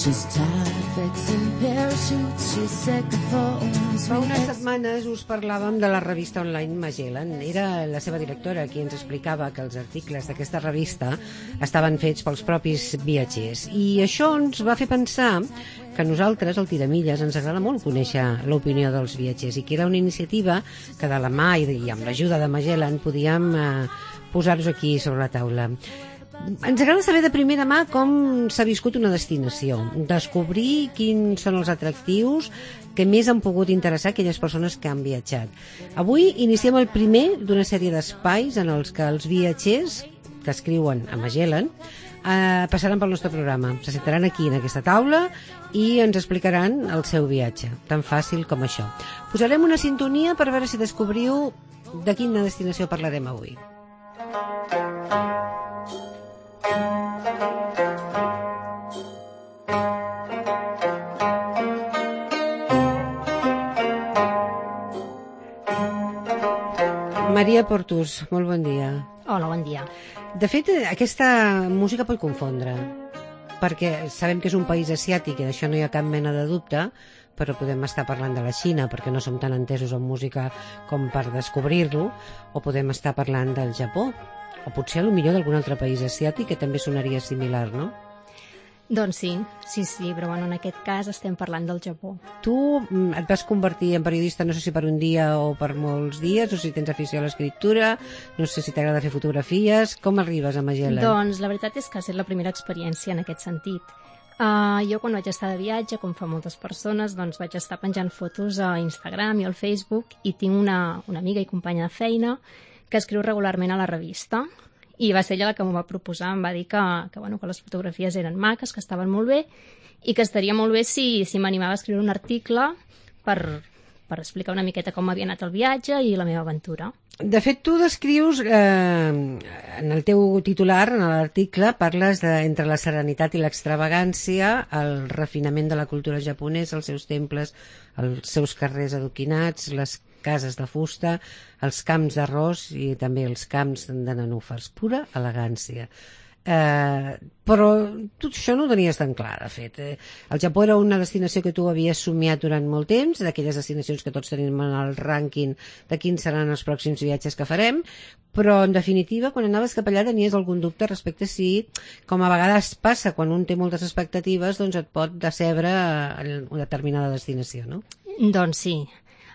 Fa unes setmanes us parlàvem de la revista online Magellan. Era la seva directora qui ens explicava que els articles d'aquesta revista estaven fets pels propis viatgers. I això ens va fer pensar que a nosaltres, al Tiramilles, ens agrada molt conèixer l'opinió dels viatgers i que era una iniciativa que de la mà i amb l'ajuda de Magellan podíem posar-nos aquí sobre la taula. Ens agrada saber de primera mà com s'ha viscut una destinació, descobrir quins són els atractius que més han pogut interessar aquelles persones que han viatjat. Avui iniciem el primer d'una sèrie d'espais en els que els viatgers que escriuen a Magellan passaran pel nostre programa. Se sentaran aquí en aquesta taula i ens explicaran el seu viatge, tan fàcil com això. Posarem una sintonia per veure si descobriu de quina destinació parlarem avui. Maria Portus, molt bon dia. Hola, bon dia. De fet, aquesta música pot confondre, perquè sabem que és un país asiàtic i d'això no hi ha cap mena de dubte, però podem estar parlant de la Xina perquè no som tan entesos en música com per descobrir-lo, o podem estar parlant del Japó, o potser potser d'algun altre país asiàtic que també sonaria similar, no? Doncs sí, però bueno, en aquest cas estem parlant del Japó. Tu et vas convertir en periodista, no sé si per un dia o per molts dies, no sé si tens afició a l'escriptura, no sé si t'agrada fer fotografies. Com arribes a Magellan? Doncs la veritat és que ha estat la primera experiència en aquest sentit. Jo quan vaig estar de viatge, com fa moltes persones, doncs vaig estar penjant fotos a Instagram i al Facebook i tinc una amiga i companya de feina que escriu regularment a la revista. I va ser ella la que m'ho va proposar, em va dir que les fotografies eren maques, que estaven molt bé i que estaria molt bé si m'animava a escriure un article per explicar una miqueta com m'havia anat el viatge i la meva aventura. De fet, tu descrius, en el teu titular, en l'article, parles entre la serenitat i l'extravagància, el refinament de la cultura japonesa, els seus temples, els seus carrers adoquinats, les cases de fusta, els camps d'arròs i també els camps de nenúfars. Pura elegància. Però tot això no ho tenies tan clar, de fet. El Japó era una destinació que tu havies somiat durant molt temps, d'aquelles destinacions que tots tenim en el rànquing de quins seran els pròxims viatges que farem, però en definitiva, quan anaves cap allà tenies algun dubte respecte a si, com a vegades passa quan un té moltes expectatives, doncs et pot decebre una determinada destinació, no? Doncs sí.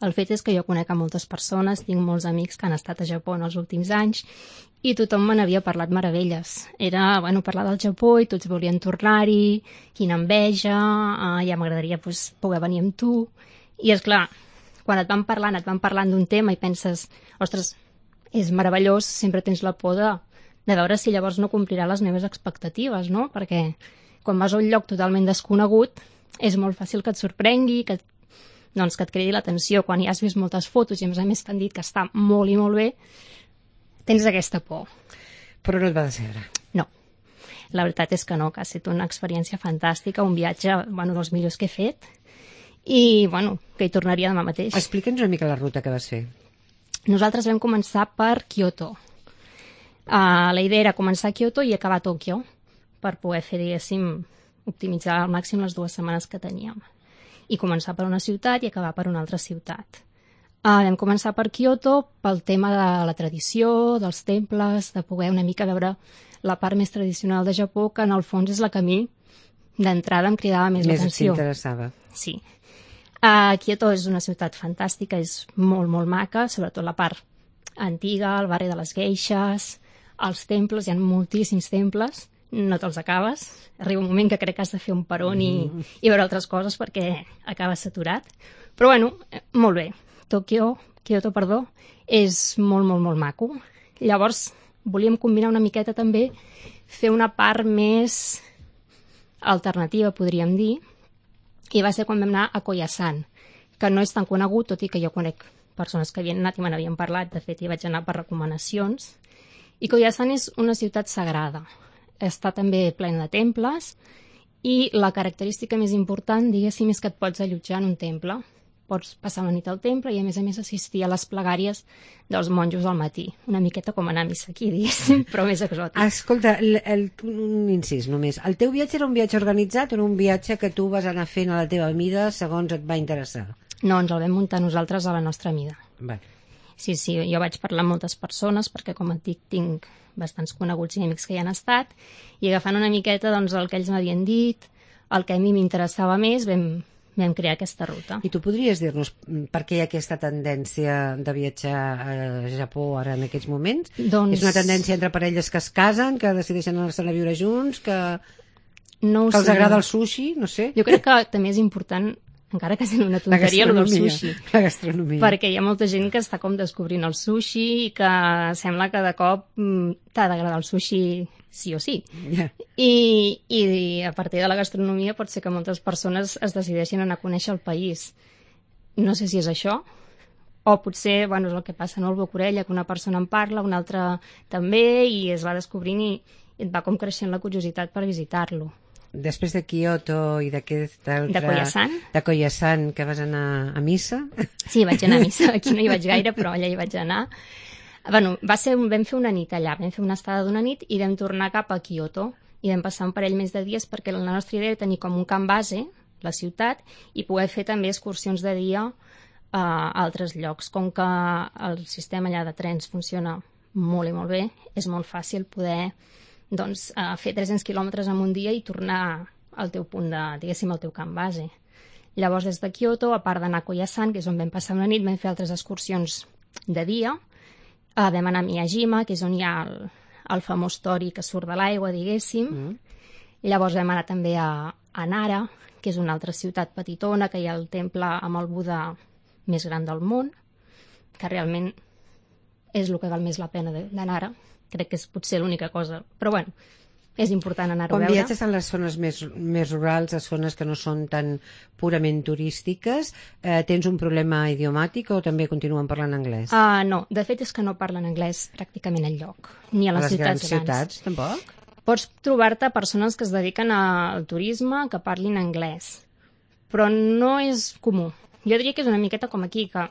El fet és que jo conec a moltes persones, tinc molts amics que han estat a Japó en els últims anys i tothom me n'havia parlat meravelles. Era, parlar del Japó i tots volien tornar-hi, quina enveja, ja m'agradaria poder venir amb tu. I és clar, quan et van parlant d'un tema i penses, ostres, és meravellós, sempre tens la por de veure si llavors no complirà les meves expectatives, no? Perquè quan vas a un lloc totalment desconegut és molt fàcil que et sorprengui, que et cridi l'atenció. Quan ja has vist moltes fotos i a més t'han dit que està molt i molt bé, tens aquesta por. Però no et va decebre? No, la veritat és que no, que ha estat una experiència fantàstica, un viatge dels millors que he fet i que hi tornaria demà mateix. Explica'ns una mica la ruta que vas fer. Nosaltres vam començar per Kyoto. La idea era començar a Kyoto i acabar a Tòquio per poder fer, diguéssim, optimitzar al màxim les 2 setmanes que teníem. I començar per una ciutat i acabar per una altra ciutat. Vam començar per Kyoto pel tema de la tradició, dels temples, de poder una mica veure la part més tradicional de Japó, que en el fons és la que a mi d'entrada em cridava més l'atenció. Més t'interessava. Sí. Kyoto és una ciutat fantàstica, és molt, molt maca, sobretot la part antiga, el barri de les geishes, els temples, hi ha moltíssims temples, no te'ls acabes. Arriba un moment que crec que has de fer un peron i veure altres coses perquè acabes saturat. Però molt bé. Kyoto, és molt, molt, molt maco. Llavors, volíem combinar una miqueta també, fer una part més alternativa, podríem dir, i va ser quan vam anar a Koyasan, que no és tan conegut, tot i que jo conec persones que havien anat i me n'havien parlat, de fet hi vaig anar per recomanacions. I Koyasan és una ciutat sagrada. Està també plena de temples i la característica més important, diguéssim, és que et pots allotjar en un temple. pots passar una nit al temple i, a més assistir a les plegàries dels monjos al matí. Una miqueta com anar a missa aquí, diguéssim, però més exòtic. Escolta, un incís només. El teu viatge era un viatge organitzat o era un viatge que tu vas anar fent a la teva mida segons et va interessar? No, ens el vam muntar nosaltres a la nostra mida. Vale. Sí, jo vaig parlar amb moltes persones perquè, com et dic, tinc bastants coneguts i amics que hi han estat, i agafant una miqueta doncs, el que ells m'havien dit, el que a mi m'interessava més, vam crear aquesta ruta. I tu podries dir-nos per què hi ha aquesta tendència de viatjar a Japó ara en aquests moments? Doncs... És una tendència entre parelles que es casen, que decideixen anar-se'n a viure junts, que els agrada el sushi, no sé. Jo crec que també és important, encara que sent una tonteria, el del sushi. La gastronomia. Perquè hi ha molta gent que està com descobrint el sushi i que sembla que de cop t'ha d'agradar el sushi sí o sí. Yeah. I a partir de la gastronomia pot ser que moltes persones es decideixin anar a conèixer el país. No sé si és això, o potser, és el que passa, no? El boca-orella, que una persona en parla, una altra també, i es va descobrint i et va com creixent la curiositat per visitar-lo. Després de Kyoto i d'aquest altre... De Koyasan. De Koyasan, que vas anar a missa. Sí, vaig anar a missa. Aquí no hi vaig gaire, però allà hi vaig anar. Vam fer una nit allà, vam fer una estada d'una nit i vam tornar cap a Kyoto i vam passar un parell més de dies perquè la nostra idea era tenir com un camp base, la ciutat, i poder fer també excursions de dia a altres llocs. Com que el sistema allà de trens funciona molt i molt bé, és molt fàcil poder fer 300 quilòmetres en un dia i tornar al teu punt diguéssim, al teu camp base. Llavors, des de Kyoto, a part d'anar a Koyasan, que és on vam passar una nit, vam fer altres excursions de dia. Vam anar a Miyajima, que és on hi ha el famós tori que surt de l'aigua, diguéssim. Llavors vam anar també a Nara, que és una altra ciutat petitona, que hi ha el temple amb el Buda més gran del món, que realment és el que val més la pena de Nara. Crec que és potser l'única cosa. Però és important anar-ho a veure. Quan viatges en les zones més rurals, a zones que no són tan purament turístiques, tens un problema idiomàtic o també continuen parlant anglès? No, de fet és que no parlen anglès pràcticament enlloc, ni a les ciutats grans. A les grans ciutats, tampoc? Pots trobar-te persones que es dediquen al turisme que parlin anglès, però no és comú. Jo diria que és una miqueta com aquí, que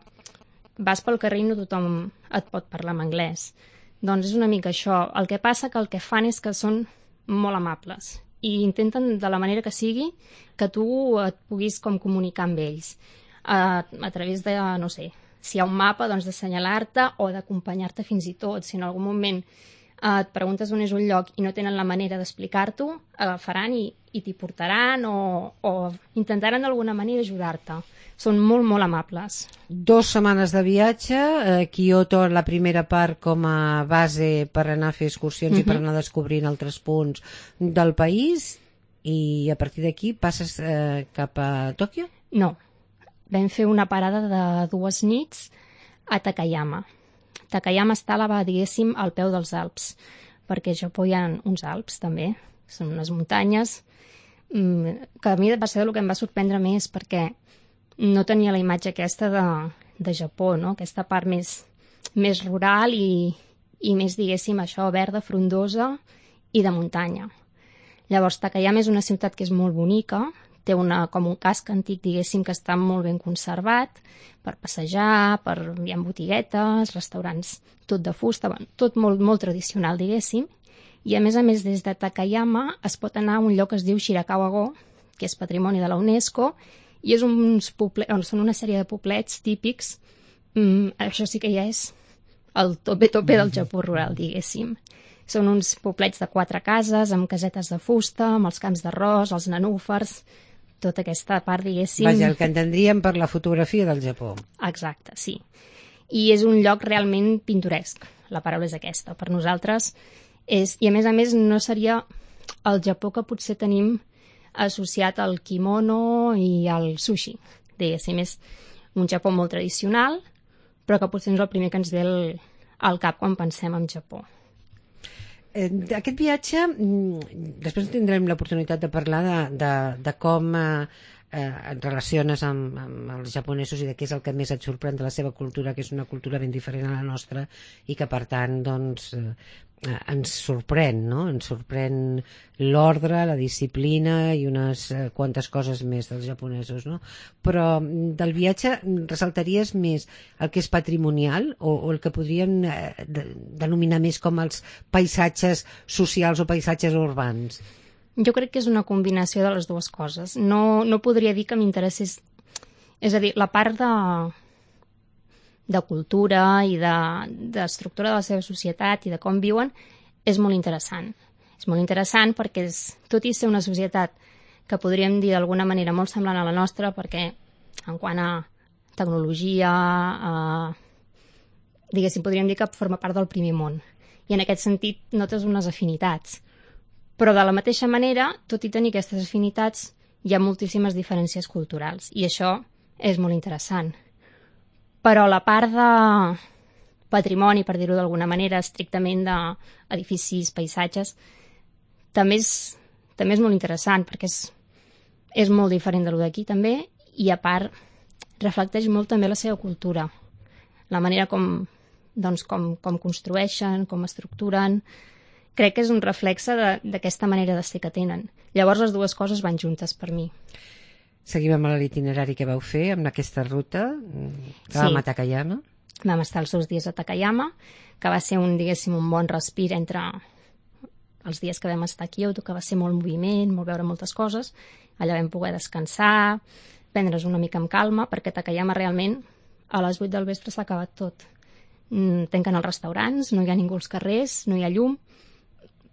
vas pel carrer i no tothom et pot parlar en anglès. Doncs és una mica això. El que passa que el que fan és que són molt amables i intenten de la manera que sigui que tu et puguis com comunicar amb ells a través de, no sé, si hi ha un mapa, doncs d'assenyalar-te o d'acompanyar-te fins i tot. Si en algun moment et preguntes on és un lloc i no tenen la manera d'explicar-t'ho, agafaran i t'hi portaran o intentaran d'alguna manera ajudar-te. Són molt, molt amables. 2 setmanes de viatge, Kyoto la primera part com a base per anar a fer excursions i per anar descobrint altres punts del país, i a partir d'aquí passes cap a Tòquio? No, vam fer una parada de 2 nits a Takayama. Takayama està, diguéssim, al peu dels Alps, perquè a Japó hi ha uns Alps també, són unes muntanyes, que a mi va ser el que em va sorprendre més, perquè no tenia la imatge aquesta de Japó, no? Aquesta part més rural i més, diguéssim, això, verda, frondosa i de muntanya. Llavors, Takayama és una ciutat que és molt bonica, té com un casc antic, diguéssim, que està molt ben conservat per passejar, hi ha botiguetes, restaurants, tot de fusta, tot molt, molt tradicional, diguéssim. I a més, des de Takayama es pot anar a un lloc que es diu Shirakawa-go, que és patrimoni de la UNESCO, i són una sèrie de poblets típics. Això sí que ja és el tope del Japó rural, diguéssim. Són uns poblets de 4 cases, amb casetes de fusta, amb els camps d'arròs, els nenúfars, tota aquesta part, diguéssim... Vaja, el que entendríem per la fotografia del Japó. Exacte, sí. I és un lloc realment pintoresc, la paraula és aquesta. Per nosaltres és... I a més no seria el Japó que potser tenim associat al kimono i al sushi. Diguéssim, és un Japó molt tradicional, però que potser és el primer que ens ve al cap quan pensem en Japó. Aquest viatge, després tindrem l'oportunitat de parlar de com et relaciones amb els japonesos i de què és el que més et sorprèn de la seva cultura, que és una cultura ben diferent a la nostra i que per tant doncs ens sorprèn, no? Ens sorprèn l'ordre, la disciplina i unes quantes coses més dels japonesos, no? Però del viatge ressaltaries més el que és patrimonial o el que podríem denominar més com els paisatges socials o paisatges urbans? Jo crec que és una combinació de les dues coses. No podria dir que m'interessés... És a dir, la part de cultura i d'estructura de la seva societat i de com viuen és molt interessant. És molt interessant perquè tot i ser una societat que podríem dir d'alguna manera molt semblant a la nostra, perquè en quant a tecnologia, diguéssim, podríem dir que forma part del primer món. I en aquest sentit notes unes afinitats. Però de la mateixa manera, tot i tenir aquestes afinitats, hi ha moltíssimes diferències culturals. I això és molt interessant. Però la part de patrimoni, per dir-ho d'alguna manera, estrictament d'edificis, paisatges, també és molt interessant, perquè és molt diferent de lo d'aquí també, i a part reflecteix molt també la seva cultura, la manera com construeixen, com estructuren. Crec que és un reflexe d'aquesta manera de ser que tenen. Llavors les dues coses van juntes per mi. Seguim amb l'itinerari que vau fer, amb aquesta ruta, que vam a Takayama. Vam estar els 2 dies a Takayama, que va ser un bon respir entre els dies que vam estar a Kyoto, que va ser molt moviment, molt veure moltes coses. Allà vam poder descansar, prendre's una mica amb calma, perquè a Takayama realment a les 8 del vespre s'ha acabat tot. Tanquen els restaurants, no hi ha ningú als carrers, no hi ha llum,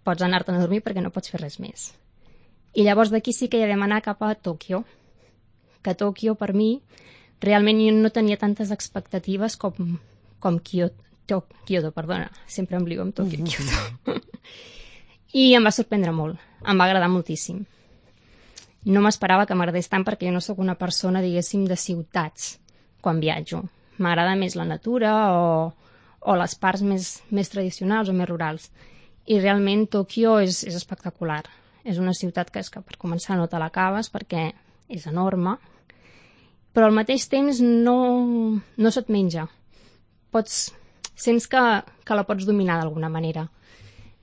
pots anar-te'n a dormir perquè no pots fer res més. I llavors d'aquí sí que ja vam anar cap a Tòquio, que Tòquio per mi realment jo no tenia tantes expectatives com Kyoto, perdona, sempre em lio amb Tòquio i Kyoto. I em va sorprendre molt, em va agradar moltíssim. No m'esperava que m'agradés tant perquè jo no sóc una persona, diguéssim, de ciutats quan viatjo. M'agrada més la natura o les parts més tradicionals o més rurals. I realment Tòquio és espectacular. És una ciutat que per començar no te l'acabes perquè és enorme, però al mateix temps no se't menja. Sents que la pots dominar d'alguna manera.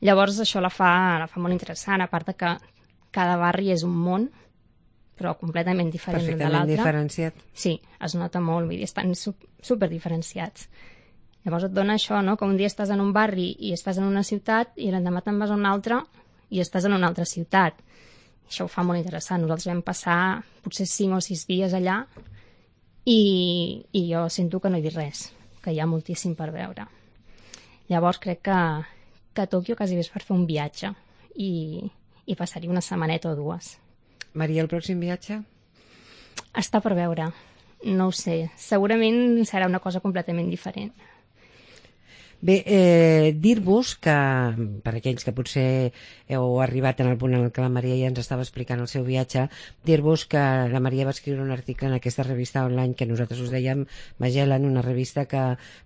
Llavors això la fa molt interessant, a part que cada barri és un món, però completament diferent l'un de l'altre. Perfectament diferenciat. Sí, es nota molt, vull dir, estan superdiferenciats. Llavors et dona això, no? Que un dia estàs en un barri i estàs en una ciutat i l'endemà te'n vas a una altra i estàs en una altra ciutat. Això ho fa molt interessant. Nosaltres vam passar potser 5 o 6 dies allà i jo sento que no he vist res, que hi ha moltíssim per veure. Llavors crec que Tòquio quasi és per fer un viatge i passar-hi una setmaneta o 2. Maria, el pròxim viatge? Està per veure. No ho sé. Segurament serà una cosa completament diferent. Bé, dir-vos que, per aquells que potser heu arribat en el punt en què la Maria ja ens estava explicant el seu viatge, dir-vos que la Maria va escriure un article en aquesta revista online que nosaltres us dèiem Magellan, una revista que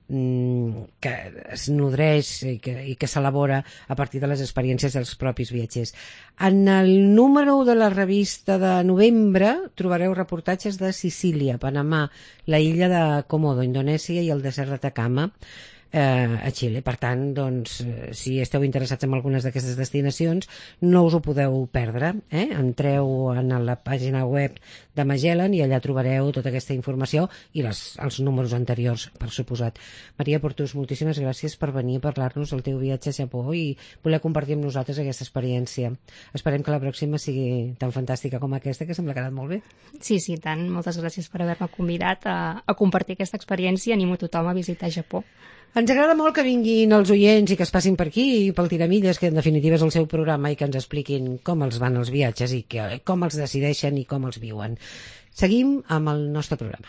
es nodreix i que s'elabora a partir de les experiències dels propis viatgers. En el número de la revista de novembre trobareu reportatges de Sicília, Panamà, la illa de Komodo, Indonèsia i el desert d'Atacama, a Xile. Per tant, doncs, si esteu interessats en algunes d'aquestes destinacions, no us ho podeu perdre. Entreu en la pàgina web de Magellan i allà trobareu tota aquesta informació i els números anteriors, per suposat. Maria Portús, moltíssimes gràcies per venir a parlar-nos del teu viatge a Japó i voler compartir amb nosaltres aquesta experiència. Esperem que la pròxima sigui tan fantàstica com aquesta, que sembla que ha anat molt bé. Sí, tant. Moltes gràcies per haver-me convidat a compartir aquesta experiència. Animo a tothom a visitar Japó. Ens agrada molt que vinguin els oients i que es passin per aquí i pel Tiramilles, que en definitiva és el seu programa, i que ens expliquin com els van els viatges i com els decideixen i com els viuen. Seguim amb el nostre programa.